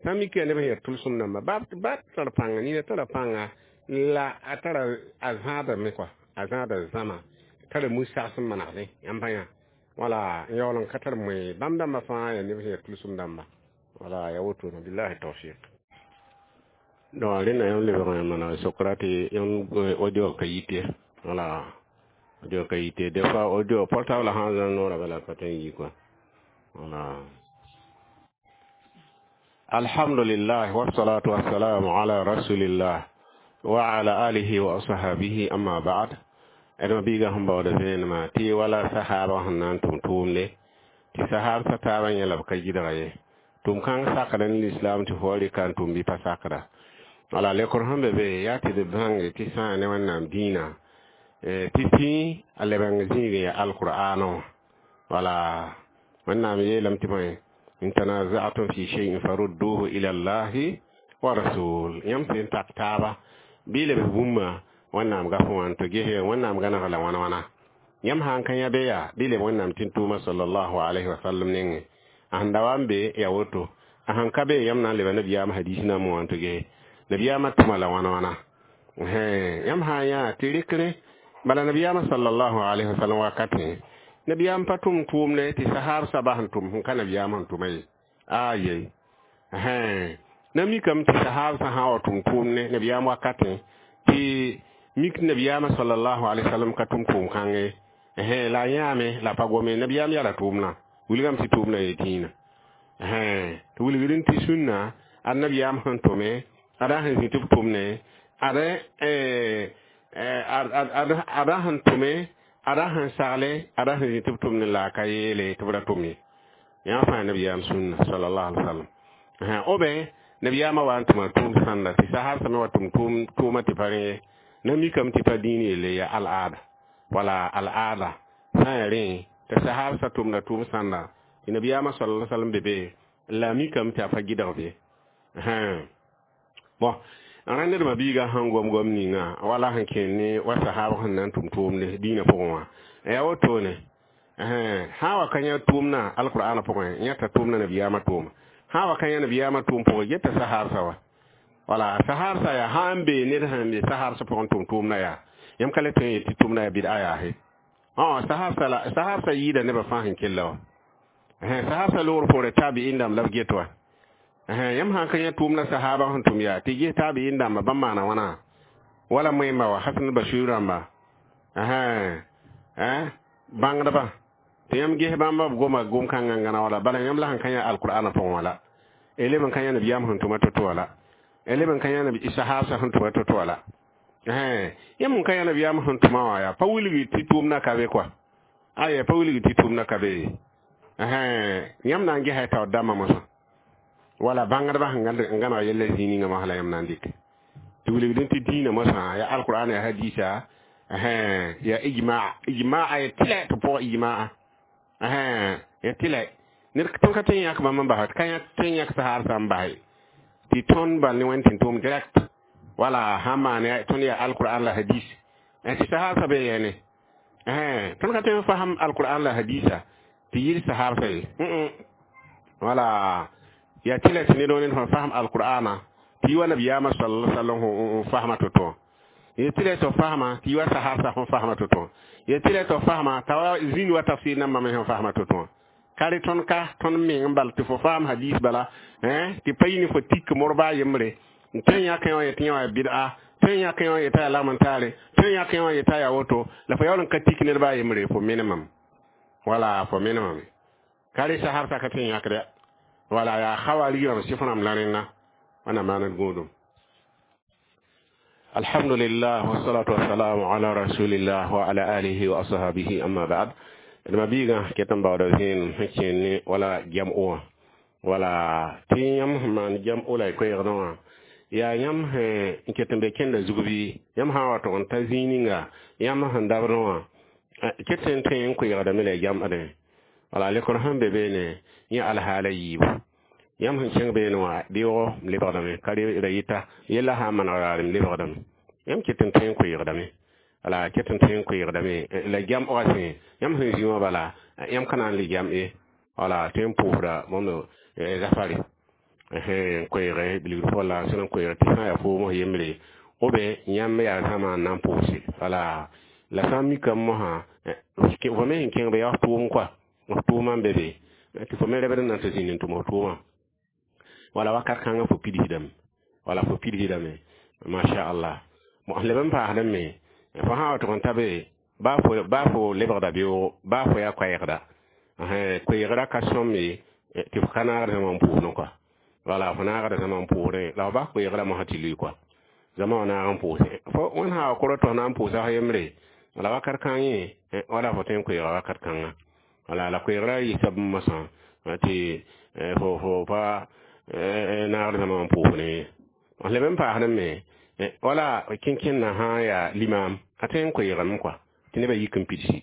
sã n mik yaa neb sẽn yaa tʋlsem dãmba ba tara pãnga nina tara pãnga la a tara a zãadame kɔa, a zãada zãma tara mu-sags n manegdẽ yãmb pa yã. Wala n yaool n ka tar moe bãmb dãmbã fãa yaa neb sẽn yaa tʋlsem dãmba. Wala yaa wotone, billahi tawfiq. Donc rẽnda yãmb lebg n maneg sokra tɩ yãmb audio ka yite. Wala audio ka yite, des fois audio portable sã n zãng noorã bala pa tõe n yi kɔa. Wala alhamdulillah, wassalatu wassalamu ala rasulillah wa ala alihi wa ashabihi, amma ba'd. D mabiigã sẽn baooda vẽenemã tɩ wala sahaba sẽn na n tʋm tʋʋmde tɩ sahab sa taabã yẽ la b ka gɩdga ye tʋm kãng sakda ne lislaam tɩ fo wa rɩka n tʋm bɩ pa sakda. Wala lekr sẽn be be yaa tɩ d bãnge tɩ sã ne Wẽnnaam dĩinã tɩ pĩ a lebeng zĩig n yaa alqur'aanã wã. Wala Wẽnnaam yeelame tɩ bõe: in tanazatum fi shay'in farudduhu ila Allahi Wa rasul yãmb sẽn tak taaba bɩ lebs bũmba Wẽnnaam gaf wã n tɩ ges Wẽnnaam gãneg la wãna wãna yãmb sã n ka yã be yaa bɩ leb Wẽnnaam tẽn-tʋʋma sallallahu alaihi wasallam nengẽ a sẽn da wa n be ya woto a sẽn ka be yãmb na n leba nabiyaam hadis nambã wã n tɩ ges nabiyaamã tʋma la wãna wãna yãmb sã n yã tɩ rɩkre bala nabiyaamã sallallahu alaihi wasallam wakatẽ nabiyaam pa tʋm tʋʋmdɛ tɩ sahab saba sẽn tʋm sẽn ka nabiyaam sẽn tʋma ye aye na mikame tɩ sahab sã sã wa tʋm tʋʋmdẽ nabiyaam wakatẽ tɩ mik nabiyaamã sallallahu alaihi wasallam ka tʋm tʋʋm kãngẽ la a yãame la pa gome nabiyaam yaa la tʋʋmdã wilgame tɩ tʋʋmdã ye dĩinã tɩ wilgd tɩ sũnna ad nabiyaam sẽn tʋme ada sẽn zĩ tɩ b tʋmne ada sẽn tʋme ada sẽn sagle ada sẽn zĩ tɩ b tʋmne la a ka yeele tɩ b ra tʋm ye yã fãa nabiyaam sũnna sallallahu alaihi wasallam obe nabiyaamã wa n tʋma tʋʋm sãnda tɩ sahab sã me wa tʋm tʋʋma tɩ pa rẽ ye na mikame tɩ pa dĩin yelle ya al-aada wala al-aada sã n ya rẽ tɩ sahab sã tʋmda tʋʋm sãnda tɩ nabiyaamã sallallahu alaihi wasallam be be la mikame tɩ a pa gɩdg be bon rãndedmã biiga sẽn gom gom ninga wala sẽn kẽnd ne wa sahab sẽn na n tʋm tʋʋmde dĩinã pʋgẽ wã yaa wotone sã wa ka yã tʋʋmdã alqur'ana pʋgẽ yãta tʋʋmdã nabiyaamã tʋʋma sã wa ka yã nabiyaamã tʋʋm pʋgẽ geta sahabsã wa wala sahabsã yaa sã n bee ned sẽn be sahabsã pʋgẽ tʋm tʋʋmdã yaa yãmb ka le tõe n yet tɩ tʋʋmdã yaa bɩd'a yaase sahabsã la sahabsã yɩɩda nebã fãa sẽn kella wa sahabsã loogr poore tabi'in dãmb la b get wa yãmb sã n ka yã tʋʋmdã sahaba sẽn tʋm yaa tɩ ges tabi'in dãmba bãmb maana wãna wala moẽmba wa Hasan Bashir rãmba bãngdba tɩ yãmb ges bãmba b goma gom-kãngã n gãna wala bala yãmb la sẽn ka yã alqur'ana pʋgẽ wã la leb n ka yã nabiyaam sẽn tʋma to-to wã la leb n ka yã sahabsã sẽn tʋma to-to wã la yãmb n ka yã nabiyaam sẽn tʋma wã yaa pa wilgi tɩ tʋʋmdã ka be kɔa aya pa wilgi tɩ tʋʋmdã ka be yãmb na n gesa taoor dãmbã mosã wala bãngdbã sẽn gãneg yella zĩig ninga mosã la yãmb na n dɩk tɩ wilgdẽ tɩ dĩinã mosã ya alqur'an ya hadisa ya ijma ijmaa ya tɩlɛ tɩ pʋgã ijmaa ya tɩlɛ ned tõnd ka tõe n yãk bãmb n basa ka tõe n yãk sahar sã n base tɩ tõnd bal ne wẽnd tɩ tʋʋm direct wala sãn maan tõnd yaa alqur'an la hadis tɩ sahabsã be yɛne tõnd ka tõe n fasem alqur'an la hadisa tɩ yɩl sahabsã ye wala ya tɩlɛ tɩ ned ned sẽn fasem alqur'ana tɩ yi wa nabiyaamã sallallahu alaihi wasallam n fasma to-to ye tɩlɛ tɩ fasma tɩ yi wa sahabsã sẽn fasma to-to ye tɩlɛ tɩ fasma t'a wa zĩnd wa tafsir nambã me sẽn fasma to-to ka rɩ tõnd ka tõnd meng n bal tɩ fo faam hadis bala tɩ pa yɩ ne fo tik morba a yembre n tõe n yãk wã yetɩ yã wã bɩd'a tõe n yãk wã yetã yaa lagm n taare tõe n yãk wã yetã yaa woto la fo yaool n ka tik ned baa yembre fo menemame wala fo menemame ka rɩ sahabsã ka tõe n yãkda wala yaa khawari rãmb sɩf rãmb la rẽnna wãna maaned gũudum alhamdulillah wassalatu wassalamu ala rasulillah wa ala alihi wa ashabihi amma ba'd d mabiigã ket n baooda zẽenem sẽn kẽen ne wala jam'o wã wala tɩ yãmb sẽn maan jam'o la y koɛɛgdã wã yaa yãmb sẽn n ket n be kẽnda zug bɩ yãmb sã n wa tʋg n ta zĩig ninga yãmb sẽn dabdẽ wã ket n tõe n koeegdame la y jam'dẽ wala lekr sẽn be beene yẽ alhaala yiibu yãmb sẽn kẽng beene wã beoogo m lebgdame ka ra yɩta yella sã n maneg raare m lebgdame yãmb ket n tõe n koeegdame wala ket n tõe n koeegdame la jam'ga sẽ yãmb sẽn zĩ wã bala yãmb ka na n le jam ye wala tõe n pʋʋsda bõmb zafare n koeege bilgd pʋgã la sẽn n koeege tɩ sã n yaa foom yembre obe yãmb yaa zãma n na n pʋʋse wala la sã n mikame mosã fo me sẽn kẽng be yaa f tʋʋm kɔa f tʋʋmã n be be tɩ fo me rebd n na n tɩ zĩnd n tʋm f tʋʋmã wala wakat kãngã fo pidsdame wala fo pidsdame masha allah sẽn leb n paasdẽ me fo sã n wa tʋg n ta be baa fo lebgda beoogo baa fo yaa koɛɛgda koeegrã ka sõm ye tɩ fo ka naagd zãma n pʋʋsdẽ kɔa wala fo naagda zãma n pʋʋsdẽ la fo bas koeegrã mosã tɩ lʋɩ kɔa zãma wã naag n pʋʋse fo wẽnd sã wa kʋrɔ tɩ fo na n pʋʋsa f yembre wala wakat kãng yẽ wala fo tõe n koeega wakat kãnga wala la koeegrã yɩsa bũmb mosã tɩ fo pa naagd zãma n pʋʋsdẽ ye sẽn leb n paasdẽ me wala kẽn-kẽndã sã n yaa limaam a tõe n koeegame kɔa tɩ nebã yik n pidsi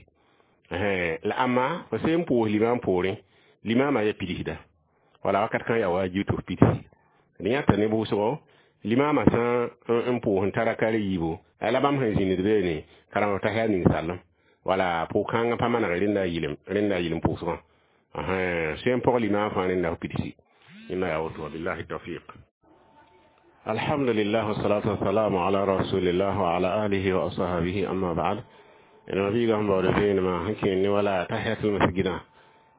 la ãmma fo sẽn pʋʋs limaam poorẽ limaamã ya pidsda wala wakat kãng yaa waajib tɩ f pidsi D yãta ne bʋʋsgo limaamã sã n pʋʋs n ta raka a yiibu la bãmb sẽn zĩnd beene karem t'a yaa ning sallem wala pʋʋg-kãngã pa maneg rẽnda a yɩlem pʋʋsgã sẽn pʋg limaam fãa rẽnda f pidsi yẽnda yaa woto wabillahi tawfiq. Alhamdulillah, wassalatu wassalamu ala rasulillah wa ala alihi wa ashabihi, amma ba'd. Ẽn biiga sẽn baood vẽenemã sẽn kẽer ne wala tahiyatul masjidã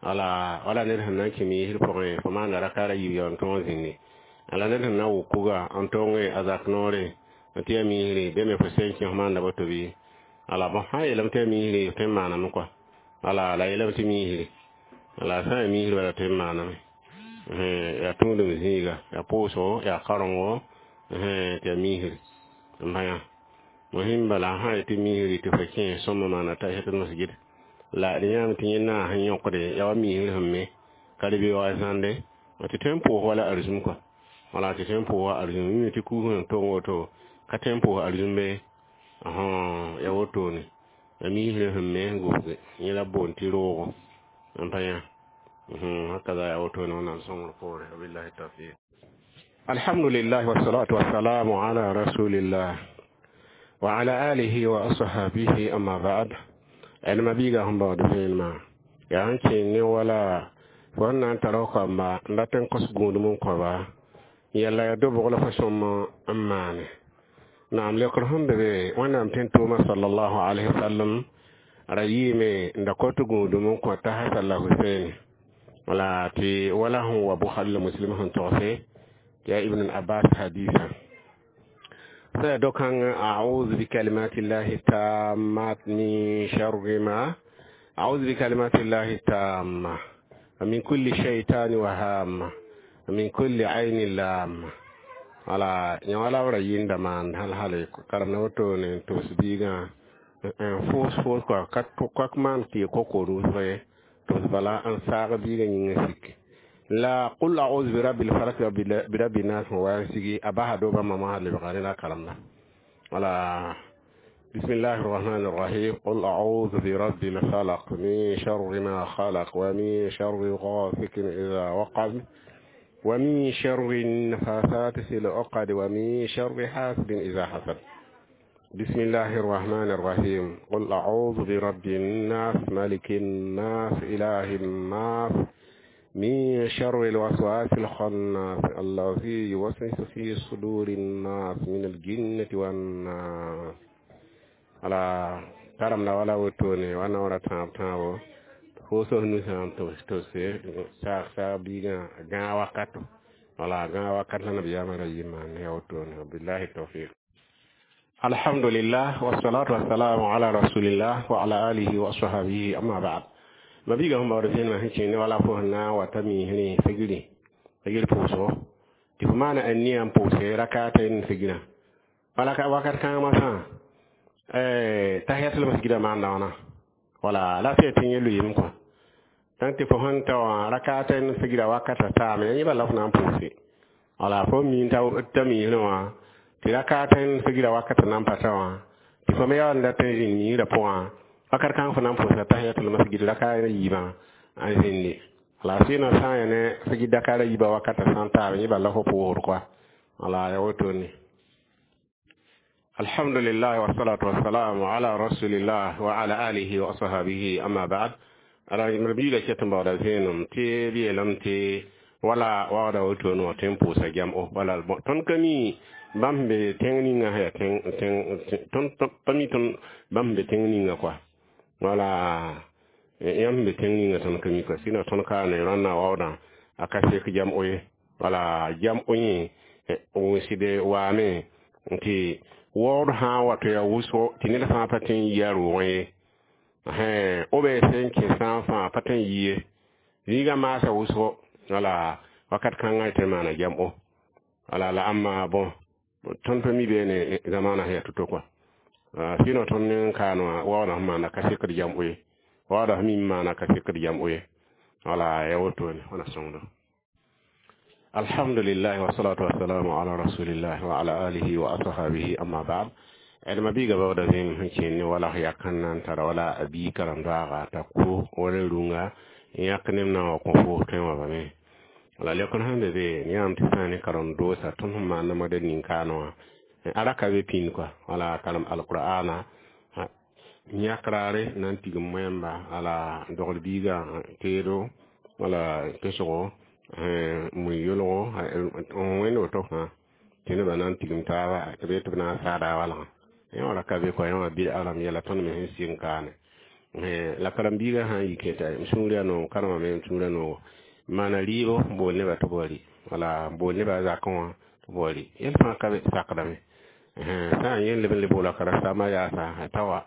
wala wala ned sẽn na n kẽ miisr pʋgẽ fo maanda rakaara yiib yaa n tõog zĩndi la ned sẽn na wʋk kuga n tong a zak noore n tɩ ya miisri be me fo sẽn kẽ fo maanda woto bɩ ala bõn sã n yeelame tɩ ya miisri tõe n maaname kɔa wala la yeelame tɩ miisri la sã n ya miisri bala tõe n maaname yaa tũudum zĩiga yaa pʋʋsgo yaa karengo tɩ ya miisri n bã yã mohin bala sã n tɩ miisri tɩ fo kẽ sõma maana tahiyatul masjid la d yãame tɩ yẽ naas n yõkde yaa wa miisr sẽn me ka d be wa zãnde tɩ tõe n pʋʋs wala arzum kɔa wala tɩ tõe n pʋʋs wa arzum mi tɩ kuus sẽn tong woto ka tõe n pʋʋs arzum be yaa wotone ya miisr sẽn me n gʋsge yẽ la boond tɩ roogo n pa yã hakaza yaa wotone wẽnnaam sõngr poore wabillahi tawfiq. Alhamdulillah, wassalatu wassalamu ala rasulillah wa ala alihi wa ashabihi, amma ba'd. Ẽdma biiga sẽn baood vẽenemã yaa sẽn kẽer ne wala fo sẽn na n tara f kamba n dat n kos gũudum n kõba yɛla ya dobg la fo sõm n maane naam lekr sẽn be be wẽnnaam tẽn-tʋʋmã sallallahu alaihi wasallam ra yɩɩme n da kot gũudum n kõ t'a Hasan la Husein wala tɩ wala sẽn wa Bukhari la Muslim sẽn togse tɩ yaa Ibn Abbas hadisa sai dokan a'udhu bi kalimati llahi tammat min sharri ma a'udhu bi kalimati llahi tamma min kulli shaytani wa hamma min kulli aynin lamma wala yã wala b ra yɩnda maan hal hale karem na woto ne tʋbs biigã n foos foos kɔa ka maan tɩ koko rʋʋsg ye tʋbs bala n saag biigã yĩngã sik la qul a'udhu bi rabbil falaq wa bi rabbin nas wa sigi a basa doba mama lebga ne la karemda wala. بسم الله الرحمن الرحيم. قل أعوذ برب الفلق من شر ما خلق ومن شر غاسق إذا وقب ومن شر النفاثات في العقد ومن شر حاسد إذا حسد. بسم الله الرحمن الرحيم. قل أعوذ برب الناس ملك الناس إله الناس من شر الوسواس الخناس الذي يوسوس في صدور الناس من الجنة والناس. Ala karam la wala wotone wana wara tãab tãabo fo sos nusã n tose saag saag biigã gãag wakato wala gãag wakat la nabiyaamã ra yɩ maan ya wotone wabillahi tawfiq. Alhamdulillah, wassalatu wassalamu ala rasulillah wa ala alihi wa ashabihi, amma ba'd. Ma biiga sẽn baood vẽenemã sẽn kẽene wala fo sẽn na n wata miisrẽ figri figr pʋʋsgo tɩ fo maana a nia n pʋʋse rakata n figrã wala wakat kãngã masã tahiyatul masjida maanda wãna wala la tɩ tɩ yẽ lʋɩɩm kõ donc tɩ fo sẽn ta wã rakata n figra wakata taame yẽ bala fo na n pʋʋse wala fo mi t'a miisrẽ wã tɩ rakata n figra wakata na n pa ta wã tɩ fo me yaa n dat n zĩnd miisrã pʋgã wakat kãng fo na n pʋʋsa tahiyatul masjid rakaat yiibã n zĩndi wala sɩɩnã sã n yaa ne figir dakaara yiibã wakata sã n taab yẽ bala fo pʋʋsd koa wala ya wotone. Alhamdulillah, wassalatu wassalamu ala rasulillah wa ala alihi wa ashabihi, amma ba'd. Ala biiga ket n baooda vẽenem tɩ b yeelame tɩ wala waooda wotone wã tõe n pʋʋsa gem-o wala tõnd ka mi bãmb sẽn be tẽng ninga sã yaa tõnd pa mi tõnd bãmb sẽn be tẽng ninga kɔa wala yãmb sẽn be tẽng ninga tõnd ka mi kɔa sɩnã tõnd ka ne rãnnã waoodã a ka sek gem-o ye wala gem-o yẽ wʋsde waame tɩ waood sã n wa tɩ yaa wʋsgo tɩ ned fãa pa tõe n yi a roogẽ ye o be sẽn kẽ sã n fãa pa tõe n yi ye zĩigã maasa wʋsgo wala wakat kãngã tɩ maana gem-o wala la ãmba bõn tõnd pa mi beene zamaana sẽn yaa to-to kɔa sɩnõ tõnd ne n kaan wã waoodã sẽn maanda ka sekd gem-o ye waoodã sẽn mi n maana ka sekd gem-o ye wala ya wotone wãna sõngdo. Alhamdulillah, wassalatu wassalamu ala rasulillah wa ala alihi wa ashabihi, amma ba'd. Ẽdma biiga baooda vẽenem sẽn kẽer ne wala yak sẽn na n tara wala a bii karem-doaaga t'a ko wala rũnga n yãk neb na n wa kõ foos tõe n wa bame. Wala lekr sẽn be be yãmb tɩ sã ne karen-doosa tõnd sẽn maan modɛl nin-kaanẽ wã a ra ka be pĩnd kɔa. Wala karem alqur'ana yãk raare na n tigim wẽmba, wala dogl biiga teedo, wala pesgo, mui yolgo, n wẽnd woto fãa tɩ nebã na n tigim taaba tɩ b tɩ b na n saada a walgã. Yẽ wã ra ka be kɔa, yẽ wã bɩ-a rãmb yɛla tõnd me sẽn sɩng kaane. La karen-biigã sã n yi kẽta m sũur yaa noog, karemame m sũur yaa noogo, maana rɩɩbo, bool nebã tɩ b wa rɩ, wala bool nebã a zakẽ wã tɩ b wa rɩ. Yɛl fãa ka be sakdame. Sã n yẽ leb n le boola karen-saambã yaasa t'a wa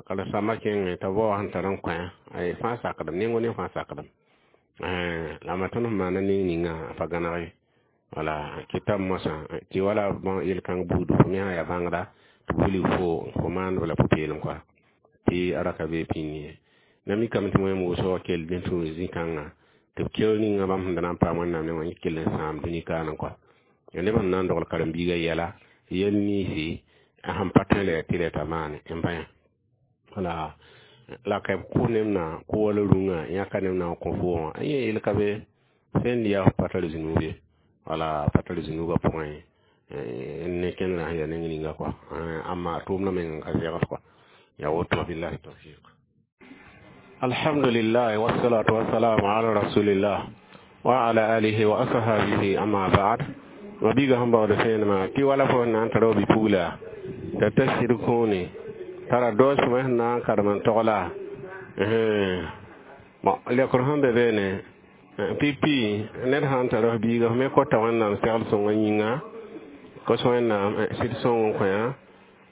karen-saambã kẽngẽ t'a bao sẽn tar n kõ fãa sakdame, nengo ne fãa sakdame. La ma tõnd sẽn maana ning ninga pa gãneg ye. Wala kɩtame moasã tɩ wala yel-kãng buudu fo me sã yaa bãngda tɩ b wilg fo maandb la pʋ-peelem kɔa tɩ a ra ka be pĩnd ye. Na mikame tɩ wẽm wʋsg kell n tũ zĩ-kãngã tɩ b keoor ninga bãmb sẽn da na n paam Wẽnnaam nengã yẽ kell n sãam dũni kaanẽ kɔa. Ya neb sẽn na n dogl karen-biigã yɛla yel ninsi a sẽn pa tõe la tɩ rɛta maane n bã. Wala la ka b kʋ neb na kʋ wala rũngã yãka neb na n kõ fo wã yẽ yel ka be sẽn yaa f pa tar zũnub ye, wala pa tar zũnubã pʋgẽ ne kẽndrã sẽn yaa neng ninga kɔa, amma a tʋʋmdã meng n ka zɛgd kɔa. Ya woto, billahi tawfiq. Alhamdulillah, wassalatu wassalamu ala rasulillah wa ala alihi wa ashabihi, amma ba'd. Mabiga sẽn baood fẽenemã tɩ wala fo na n tara bi-pugla t'a ta sɩd kũune tara doos fo sẽn na n karem n togla. Bon, lekr sẽn be beene pipi, ned sã n tara f biiga, f me kota Wẽnnaam segl sõngã yĩnga, kos Wẽnnaam sɩd sõng n kõ,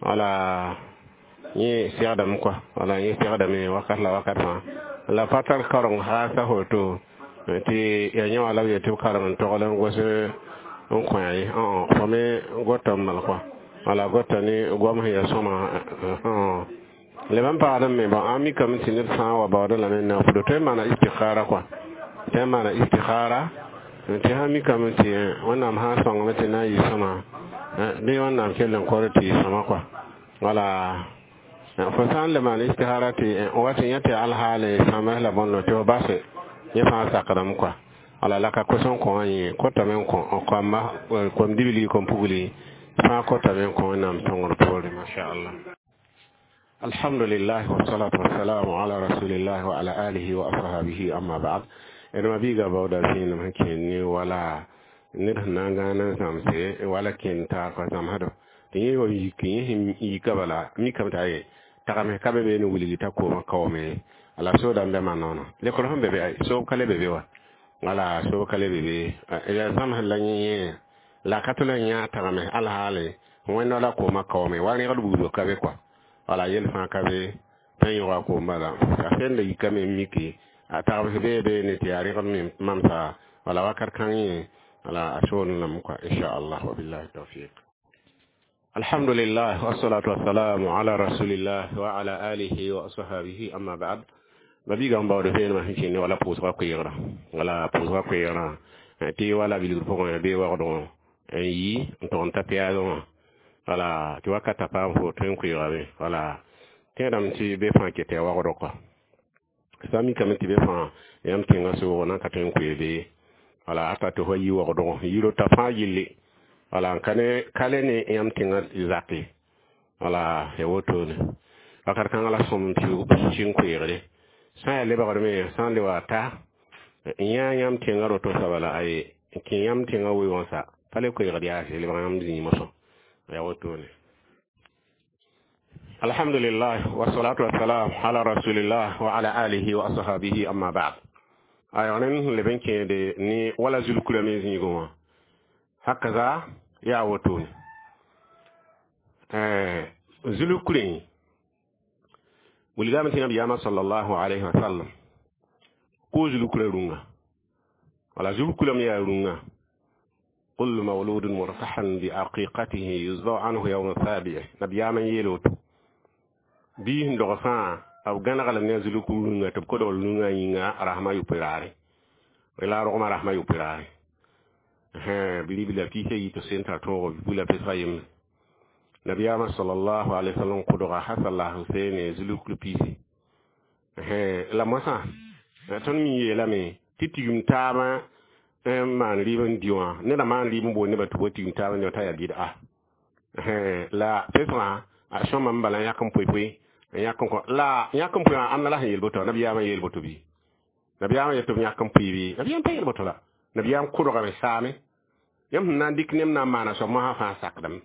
wala yẽ segdame kɔa, wala yẽ segdame wakat la wakat fãa. La pa tar kareng haasa foto tɩ ya yẽ wã la b yet tɩ b karem n togl n gos n kõ ye. Fo me gota n mal kɔa, wala gota ne goam sẽn yaa sõma leb n paagd me. Bon, a mikame tɩ ned sã n wa baoodẽ lame n na n fudo tõe n maana istikhara kɔa, tõe n maana istikhara tɩ sã mikame tɩ Wẽnnaam sã n sõngame tɩ na n yɩ sõma bɩ Wẽnnaam kell n kor tɩ yɩ sõma kɔa. Wala fo sã n le maan istikhara tɩ wa tɩ yẽ tɩ alhaale sãms la bõndo tɩ f base, yẽ fãa sakdame kɔa. Wala la ka kos n kõ wã yẽ kotame n kõ koamba, kom dibli, kom pugli fãa kotame n kõ Wẽnnaam sõngr poore, mashallah. Alhamdulillah, wassalatu wassalamu ala rasulillah wa ala alihi wa ashabihi, amma ba'd. D mabiiga baooda zĩinem sẽn kẽnd ne wala ned sẽn na n gãan n zãmse wala kẽnd taar kɔa zãmsdo tɩ yẽ wa yik yẽ sẽn yika bala mikame t'a ye tagame ka be be ne wilgi t'a koomã kaoome la soodame be ma noona lekr sẽn be be soob ka le be be wa, wala soob ka le be be ya zãmsd la yẽ la ka tʋl n yã tagame alhaale wẽnda la koomã kaoome wa rẽgd buudb ka be kɔa, wala yel fãa ka be tã yõga koom bala a sẽnda yikame n miki a tagbs bee be ne tɩ yaa rẽgd me mamsa, wala wakat kãng yẽ wala a soolem lame kɔa, inchallah, wa billahi tawfiq. Alhamdulillah, wassalatu wassalamu ala rasulillah wa ala alihi wa ashabihi, amma ba'd. Mabiiga n baood fẽenemã sẽn kẽnd wala pʋʋsga koeegrã, wala pʋʋsga koeegrã tɩ wala bilgr pʋgẽ bee waoodgõ n yi n tʋg n ta pɛɛlg wã, wala tɩ wakata paam fo tõe n koeegame, wala tẽedame tɩ be fãa ket yaa waoodg kɔa. Sã mikame tɩ be fãa yãmb tẽngã soogã na n ka tõe n koee bee, wala ata tɩ fo yi waoodgõ yiro t'a fãa yelle, wala n ka ne ka le ne yãmb tẽngã zake, wala ya wotone wakat kãngã la sõm n pĩig n koeegde sã n yaa lebgdme sã n le wa ta n yã yãmb tẽngã roto soaba la aye n kẽ yãmb tẽngã weoogã sa pa le koeegd yaase lebg yãmb zĩig mosã ya wotone. Alhamdulillah, wassalatu wassalam ala rasulillah wa ala alihi wa ashabihi, amma ba'd. Aywa, rẽnd sẽn leb n kẽede ne wala zulkura me zĩigẽ wã hakaza yaa wotone zulkurẽ wilgame tɩ nabiyaamã sallallahu alayhi wa sallam ko zulkura rũngã, wala zulkurame yaa rũngã. Kullu mawludun murtahan bi aqiqatihi yuzbau anhu yawma sabi'i. Nabiyaamã n yeel woto bii sẽn dog fãa b gãneg ne a zulku rũngã tɩ b kodg rũngã yĩnga rasmã yopoe raare, la rogmã rasmã yopoe raare. Bilibla piisa yi tɩ sẽn tar tõogo bula pesga yembre. Nabiyaamã sallallahu alaihi wasallam kʋdga Hasan la Huseene zulukl piisi la moasã tõnd mi yeelame tɩ tigim taabã n maan rɩɩb n dɩ wã neda maan rɩɩb n bool nebã tɩ b wa tigim taab n t'a yaa bɩd'a. La pesgã a sõma n bala n yãk n poe-poe n yãk n kõ la yãk n poe wã ãnna la sẽn yel boto nabiyaamã yeel boto bɩ nabiyaamã yet tɩ b yãk n pʋɩ bɩ nabiyaam pa yel boto la nabiyaam kʋdgame saame yãmb sẽn na n dɩk neb na n maana soab mosã fãa sakdame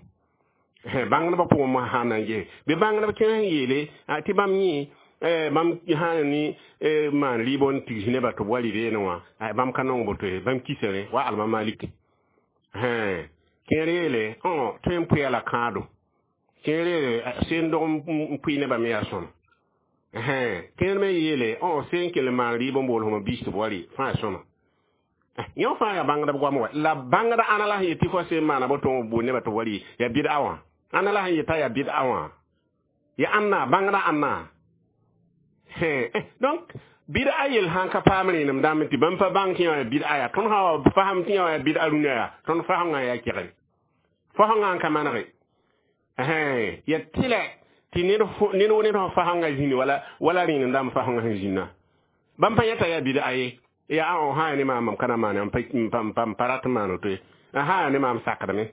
bãngdbã pʋgẽ mosã sã n na n ges bɩ bãngdb kẽ sẽn yeele tɩ bãmb yẽ bãmb sã n ne maan rɩɩb n tigs nebã tɩ b wa rɩ beene wã bãmb ka nong boto ye bãmb kisa rẽ wa alma maliki kẽer yeele tõe n pʋɩa la kãado kẽer yeele seen dog n pʋɩ nebã me yaa sõma kẽer me yeele seen kell n maan rɩɩb n bool fõma biis tɩ b wa rɩ fãa sõma yõ fãa yaa bãngdb goam wa la bãngda ãna la sẽn yet tɩ fo seen maana boto n bool nebã tɩ b wa rɩ yaa bɩd'a wã ãna la sẽn yeta yaa bɩd'a wã ya ãnna bãngda ãnna donc bɩd'a yel sãn ka paam rẽenem dãmb tɩ bãmb pa bãng tɩ yã yaa bɩd'a yaa tõnd sã wa fasem tɩ yã yaa bɩd'a rũnã yaa tõnd fasengã yaa kegre fasengã n ka manege ya tɩlɛ tɩ ned wo ned sẽn fasengã zĩni wala rẽenem dãmb fasengã sẽn zĩnna bãmb pa yãta yaa bɩd'a ye yaa sã yaa ne maam mam ka na maane m pa rat n maan woto ye sã yaa ne maam sakdame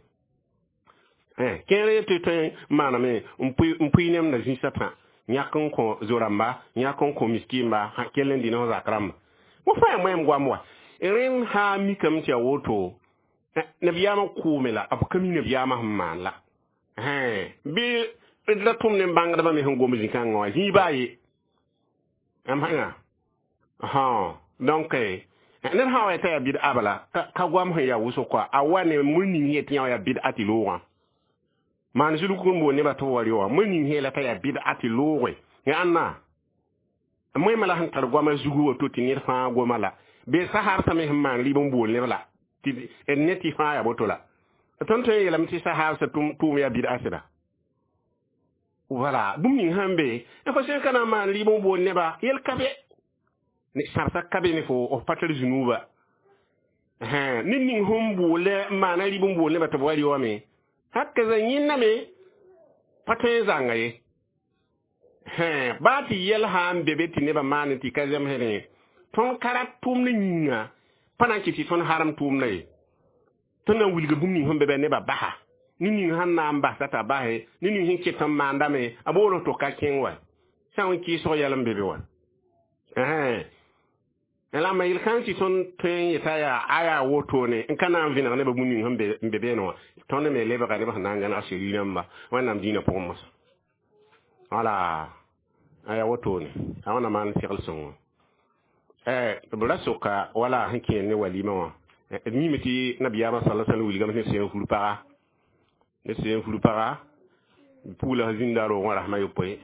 kẽer ye tɩ tõe n maaname n pʋɩ nemda zĩisã tã yãk n kõ zo-rãmba yãk n kõ miskimba kell n dɩ ne f zak rãmba wo fãa yaa moɛɛm goam wa rẽnd sã n mikame tɩ yaa woto nabiyaamã kʋʋme la b ka mi nabiyaamã sẽn maan la bɩ d ra tʋm ne bãngdbã me sẽn gom zĩ-kãngã wã zĩig baa ye m donc ned sã wa t'a yaa bɩd'a bala ka goam sẽn yaa wʋsg kɔa a wa ne mur ning yet tɩ yã wa yaa bɩd'a tɩ loogã maan zulg n bool nebã tɩ b wa rɩ wã mur ning yeela t'a yaa bɩd'a tɩ looge ya ãnna moẽmã la sẽn tar goamã zugu woto tɩ ned fãa goma la bee sahaabsã me sẽn maan rɩɩb n bool neb la tɩ ne tɩ fãa yaa boto la tõnd tõe n yeelame tɩ sahaabsã tʋʋm yaa bɩd'a sɩda voilà bũmb ning sẽn be fo sẽn ka na n maan rɩɩb n bool nebã yel ka be sãbsã ka be ne fo f pa tar zũnuuba ned ning sẽn boole n maana rɩɩb n bool nebã tɩ b wa rɩ wame hakaza yẽnna me pa tõe n zãnga ye baa tɩ yɛl sã n be be tɩ nebã maan tɩ ka zemsdẽ tõnd ka rat tʋʋmdã yĩnga pa na n kɩ tɩ tõnd harem tʋʋmdã ye tõnd na n wilga bũmb ning sẽn be bɩ nebã basa ned ning sãn na n basa t'a base ned ning sẽn ket n maandame a bool to ka kẽng wa sã n kɩɩsg yɛl n be be wa la ma yel kãng tɩ tõnd tõe n yeta yaa a yaa wotone n ka na n vẽneg nebã bũmb ning sẽn be beene wã tõnd me lebga nebã sẽn na n gãneg seri rãmba wẽnnaam dĩinã pʋgẽ mosã wala a yaa wotone a wãna maan segl sõngo b ra soka wala sẽn kẽer ne walima wã d mime tɩ nabiyaamã sala sãl wilgame tɩ sẽn fur paga ne sẽn fur paga pugla zĩnda roogẽ rasmã yopoe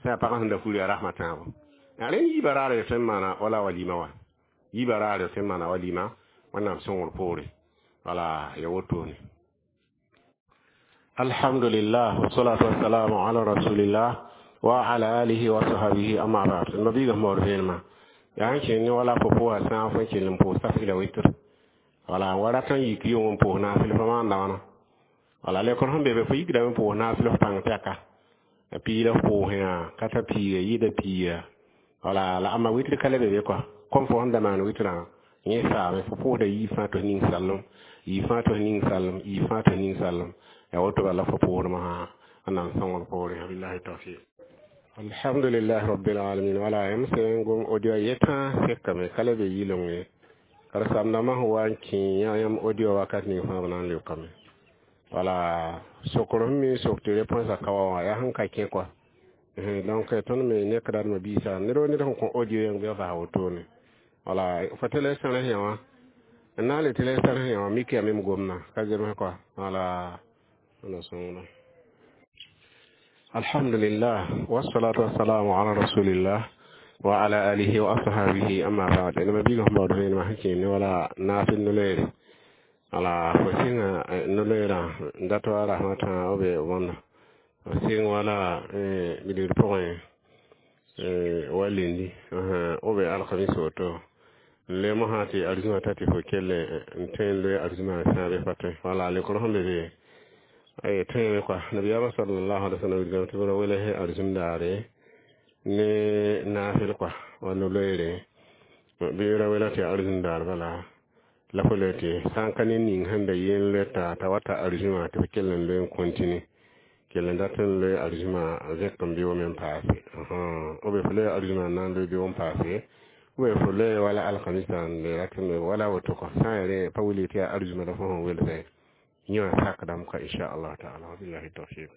sã yaa pagã sẽn da fur yaa rasmã tãabo rẽnd yiibã raare tõe n maana wala walima wã yiibã raare tõe n maana walima wẽnnaam sõngr poore wala ya wotone alhamdulillah wasalatu wassalamu ala rasulillah wa ala alihi wa sahbihi amma ba'd mabiga mor veenema yaa n kẽnd ne wala fo pʋʋsa sã fo n kell n pʋʋs safɩla witr wala wa rat n yik yʋng n pʋʋs naafɩl fo maanda wãna wala lekr sẽn be be fo yikdame n pʋʋs naafɩl f pãng pɛka piila f pʋʋsẽ ka ta piiga yɩɩda piiga wala la ãmba witr ka le be be kɔa kom fo sẽn da maan witrã yẽ saame fo pʋʋsda yiib fãa tɩ f ning sallem yiib fãa tɩ f ning sallem yiib fãa tɩ f ning sallem yaa woto bala fo pʋʋsdmã sã n na n sõngr poore billahi tawfiq alhamdulillah rabbil alamin wala yãmb sẽn gom audio yetã sekame ka le be yɩleng ye karen-saamdãmbã sẽn wa n kẽ yãmb audio wakat ning fãa b na n leokame wala sokr sẽn me sok tɩ réponse a ka wa wã yaa sẽn ka kẽ kɔa donc tõnd me nekda d mabiisa ned wa ned sẽn kõ audio yẽng bɩ b vas wotone wala fo tɩ la sãrs yã wã n na n le tɩ la sãrs yã wã mik yaa me m gomna ka zems kɔa wala na sõngda alhamdulillah wassalatu wassalamu ala rasulillah wa ala alihi wa ashabihi amma ba'd ina mabiga sẽn baood vẽenemã sẽn kẽer ne wala naafɩl no-loeere wala fo sɩnga no-loeerã n dat wa rasmã tãa b wãnda fo sɩng wala bilgr pʋgẽ wa lendi b alkamis woto n le mosã tɩ arzũmã ta tɩ fo kell n tõe n loe arzũmã sãabe pa tõe wala lekr sẽn be be ay tõeme kɔa nabiyaamã sallallahu alaihi wasallam wilgame tɩ b ra welse arzũm daare ne naafɩl kɔa wa no-loeere bɩ ra wela tɩ arzũm daar bala La fo loe tɩ sã n ka ne ning sẽn be yeen loeta t'a wa ta arzũma tɩ f kell n loe n continue, kell n dat n loe arzũma zẽk n bɩ me n paase, ou bien fo loe arzũma n na n loe bɩ n paase, ou bien fo loe wala alkamisa n le rat n loe wala woto kɔ. Sã n yaa rẽ pa wilg tɩ yaa arzũma la fo sẽn welsẽ, yẽ wã sakdame ka, inchallah taala. Wabillahi tawfiq.